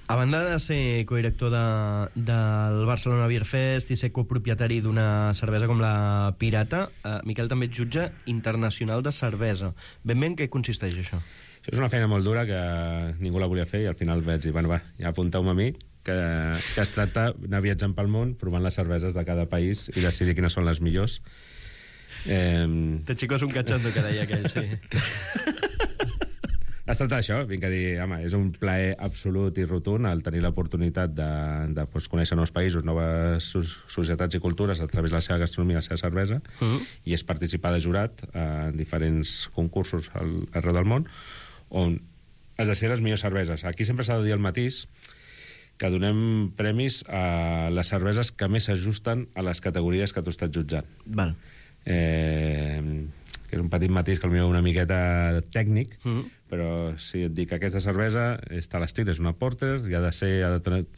A banda de ser codirector del Barcelona Beer Fest i ser copropietari d'una cervesa com la Pirata, Miquel també ets jutge internacional de cervesa. Ben bé en què consisteix això? Això és una feina molt dura que ningú la volia fer, i al final vaig dir, bueno, va, ja apunteu-me a mi, que es tracta d'anar viatjant pel món, provant les cerveses de cada país i decidir quines són les millors. Te chico és un cachondo, que deia aquell, sí. Es tracta d'això, vinc a dir, home, és un plaer absolut i rotund el tenir l'oportunitat de conèixer nous països, noves societats i cultures a través de la seva gastronomia, la seva cervesa, i és participar de jurat en diferents concursos arreu del món, on es decideixen les millors cerveses. Aquí sempre s'ha de dir el matís, que donem premis a les cerveses que més s'ajusten a les categories que tu estàs jutjant. Val. Que és un petit matís que potser una miqueta tècnic, però si et dic que aquesta cervesa està a l'estil, és una porter, i ha de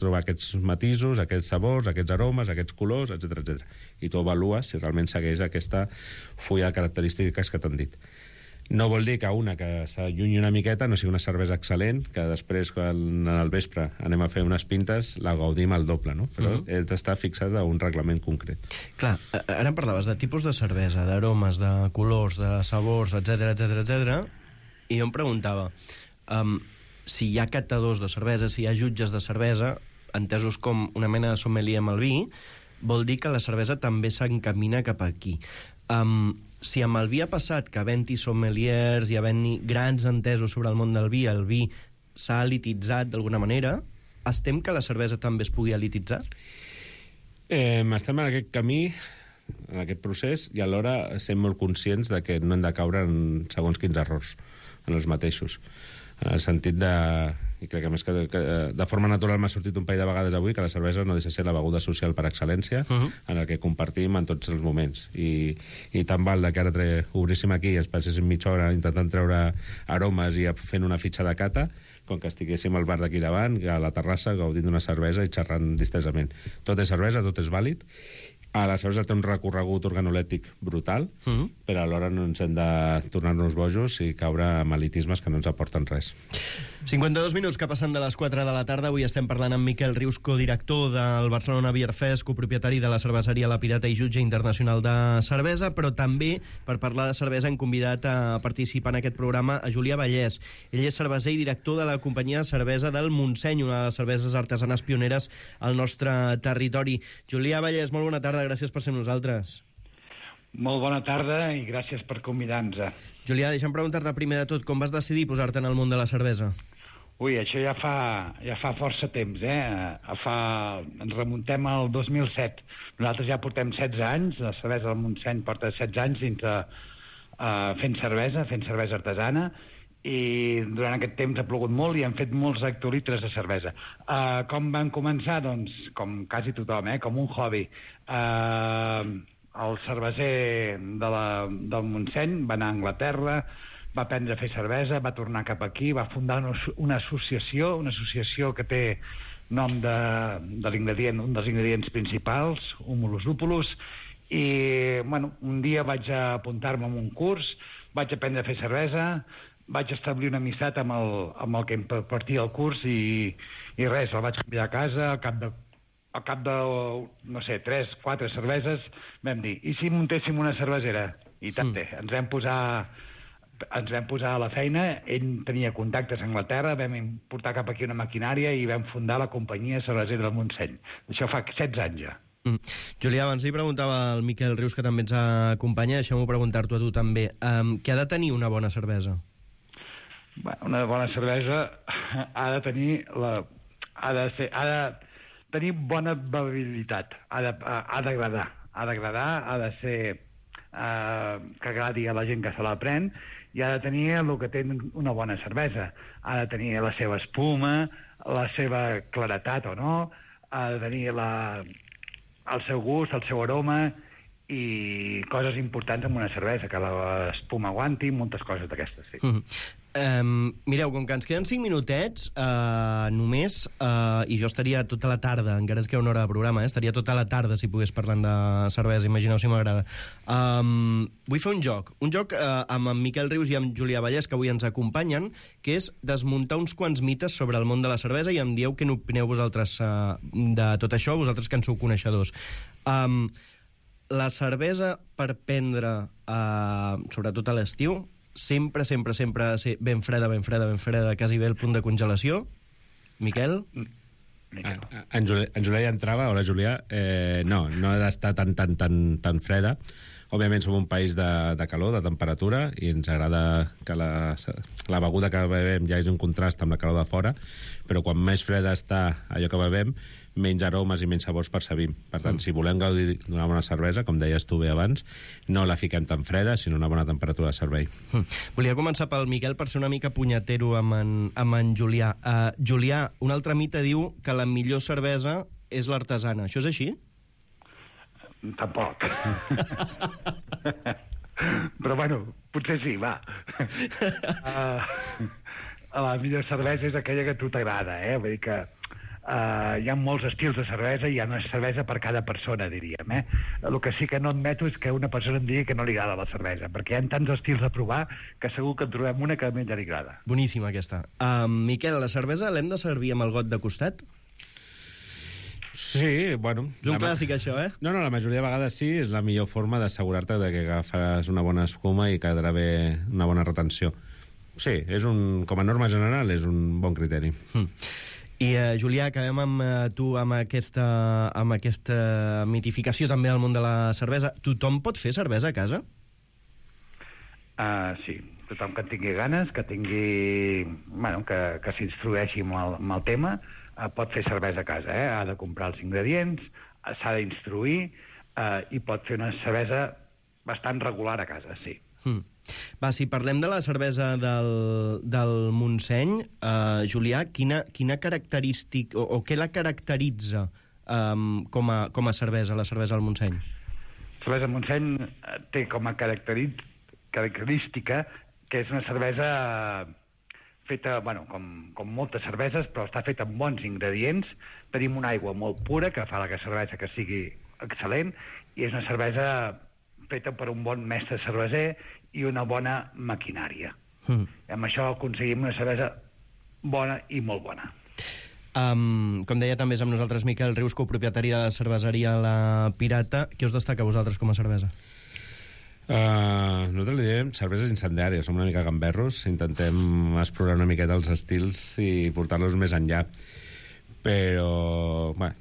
trobar aquests matisos, aquests sabors, aquests aromes, aquests colors, etc. I tu avalues si realment segueix aquesta fulla de característiques que t'han dit. No vol dir que una que s'allunyi una miqueta no sigui una cervesa excel·lent, que després, quan al vespre anem a fer unes pintes, la gaudim al doble, no? Però he d'estar fixat a un reglament concret. Clar, ara em parlaves de tipus de cervesa, d'aromes, de colors, de sabors, etc, i jo em preguntava si hi ha catadors de cervesa, si hi ha jutges de cervesa, entesos com una mena de sommelier amb el vi, vol dir que la cervesa també s'encamina cap aquí. Si amb el vi ha passat que havent-hi sommeliers i havent-hi grans entesos sobre el món del vi, el vi s'ha elititzat d'alguna manera, estem que la cervesa també es pugui elititzar? Estem en aquest camí, en aquest procés, i alhora som molt conscients de que no hem de caure en segons quins errors, en els mateixos. En el sentit de... i crec que més que de forma natural m'ha sortit un parell de vegades avui que la cervesa no deixa de ser la beguda social per excel·lència, en el que compartim en tots els moments. I tant val que ara obríssim aquí i ens passéssim mitja hora intentant treure aromes i fent una fitxa de cata, com que estiguéssim al bar d'aquí davant, a la terrassa, gaudint d'una cervesa i xerrant distesament. Tot és cervesa, tot és vàlid. La cervesa té un recorregut organolèptic brutal, però alhora no ens hem de tornar-nos bojos i caure en elitismes que no ens aporten res. 52 minuts que passen de les 4 de la tarda. Avui estem parlant amb Miquel Rius, codirector del Barcelona Beer Fest, copropietari de la cerveseria La Pirata i jutge internacional de cervesa, però també, per parlar de cervesa, hem convidat a participar en aquest programa a Julià Vallès. Ell és cerveser i director de la companyia de cervesa del Montseny, una de les cerveses artesanes pioneres al nostre territori. Julià Vallès, molt bona tarda, gràcies per ser amb nosaltres. Molt bona tarda i gràcies per convidar-nos. Julià, deixa'm preguntar-te primer de tot, com vas decidir posar-te en el món de la cervesa? Ui, això ja fa força temps, ens remuntem al 2007. Nosaltres ja portem 16 anys, la cervesa del Montseny porta 16 anys dintre fent cervesa artesana, i durant aquest temps ha plogut molt i hem fet molts hectolitres de cervesa. Com van començar? Doncs, com quasi tothom, com un hobby. El cerveser del Montseny va anar a Anglaterra, va aprendre a fer cervesa, va tornar cap aquí, va fundar una associació que té nom de l'ingredient, un dels ingredients principals, Humulus lupulus, i un dia vaig apuntar-me a un curs, vaig aprendre a fer cervesa, vaig establir una amistat amb el que impartia el curs i res, el vaig canviar a casa. Al cap de, no sé, 3-4 cerveses, vam dir, i si muntéssim una cervesera? I tant, ens vam posar a la feina, ell tenia contactes a Anglaterra, vam importar cap aquí una maquinària i vam fundar la companyia cervesera del Montseny. Això fa 16 anys ja. Julià, abans li preguntava al Miquel Rius, que també ens acompanya, deixem-ho preguntar-t'ho a tu també. Què ha de tenir una bona cervesa? Una bona cervesa ha de tenir tenir bona bevibilitat, ha d'agradar, ha de ser que agradi a la gent que se la pren, i ha de tenir el que té una bona cervesa. Ha de tenir la seva espuma, la seva claretat o no, ha de tenir el seu gust, el seu aroma, i coses importants en una cervesa, que l'espuma aguanti, moltes coses d'aquestes, sí. Mireu, com que ens queden 5 minutets només, i jo estaria tota la tarda, encara ens queda una hora de programa, estaria tota la tarda si pogués parlant de cervesa, imagineu si m'agrada. Vull fer un joc amb en Miquel Rius i amb Julià Vallès, que avui ens acompanyen, que és desmuntar uns quants mites sobre el món de la cervesa, i em dieu què n'opineu vosaltres de tot això, vosaltres que en sou coneixedors. La cervesa per prendre, sobretot a l'estiu, sempre ha de ser ben freda, quasi bé al punt de congelació. Miquel? En Julià ja entrava. Hola, Julià. No ha d'estar tan freda. Òbviament som un país de calor, de temperatura, i ens agrada que la beguda que bevem ja és un contrast amb la calor de fora, però quan més freda està allò que bevem, menys aromes i menys sabors percebim. Per tant, si volem gaudir d'una bona cervesa, com deies tu bé abans, no la fiquem tan freda, sinó una bona temperatura de servei. Volia començar pel Miquel per ser una mica punyetero amb en Julià. Julià, un altre mite diu que la millor cervesa és l'artesana. Això és així? Tampoc. Però bueno, potser sí, va. La millor cervesa és aquella que a tu t'agrada, vull dir que hi ha molts estils de cervesa i hi ha una cervesa per cada persona, diríem. El que sí que no admeto és que una persona em digui que no li agrada la cervesa, perquè hi ha tants estils a provar que segur que en trobem una que a mi ja li agrada. Boníssima, aquesta. Miquel, la cervesa l'hem de servir amb el got de costat? Sí, bueno... És un clàssic, això, No, la majoria de vegades sí, és la millor forma d'assegurar-te de que agafaràs una bona escuma i quedarà bé una bona retenció. Sí, com a norma general, és un bon criteri. I, Julià, acabem amb tu amb aquesta mitificació també al món de la cervesa. Tothom pot fer cervesa a casa? Sí, tothom que en tingui ganes, que tingui... Bueno, que s'instrueixi amb el tema, pot fer cervesa a casa, ha de comprar els ingredients, s'ha d'instruir i pot fer una cervesa bastant regular a casa, sí. Va, si parlem de la cervesa del Montseny, Julià, quina característica o què la caracteritza com a cervesa, la cervesa del Montseny? La cervesa del Montseny té com a característica que és una cervesa feta, bueno, com moltes cerveses, però està feta amb bons ingredients. Tenim una aigua molt pura que fa la cervesa que sigui excel·lent i és una cervesa feta per un bon mestre cerveser i una bona maquinària. Amb això aconseguim una cervesa bona i molt bona. Com deia, també és amb nosaltres Miquel Rius, copropietari de la cerveseria La Pirata. Què us destaca a vosaltres com a cervesa? Nosaltres li diem cerveses incendiàries, som una mica gamberros, intentem explorar una miqueta els estils i portar-los més enllà, però bueno,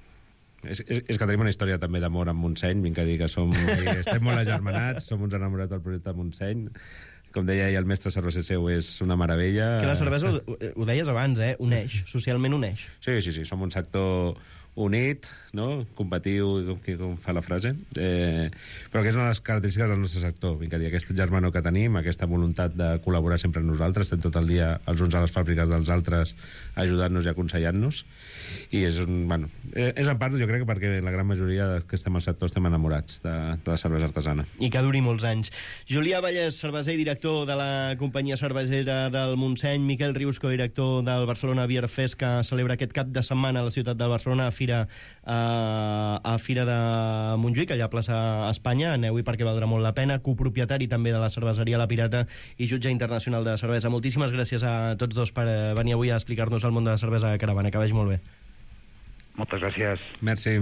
és que tenim una història també d'amor amb Montseny, vinc a dir que estem molt agermanats, som uns enamorats del projecte Montseny, com deia, i el mestre cerveser seu és una meravella. Que la cervesa, ho deies abans, uneix, socialment uneix. Sí, som un sector unit, no? Combatiu, com fa la frase, però que és una de les característiques del nostre sector. Vinc a dir, aquesta germanor que tenim, aquesta voluntat de col·laborar sempre amb nosaltres, estem tot el dia els uns a les fàbriques dels altres ajudant-nos i aconsellant-nos, i és en part, jo crec, perquè la gran majoria que estem al sector estem enamorats de la cervesa artesana. I que duri molts anys. Julià Vallès, cerveser i director de la companyia cervesera del Montseny, Miquel Rius, codirector del Barcelona Beer Fest, que celebra aquest cap de setmana a la ciutat de Barcelona, a Fira de Montjuïc, allà a plaça Espanya. Aneu-hi perquè valdrà molt la pena. Copropietari també de la cerveseria La Pirata i jutge internacional de cervesa. Moltíssimes gràcies a tots dos per venir avui a explicar-nos el món de la cervesa a Caravana. Que vagi molt bé. Moltes gràcies. Merci.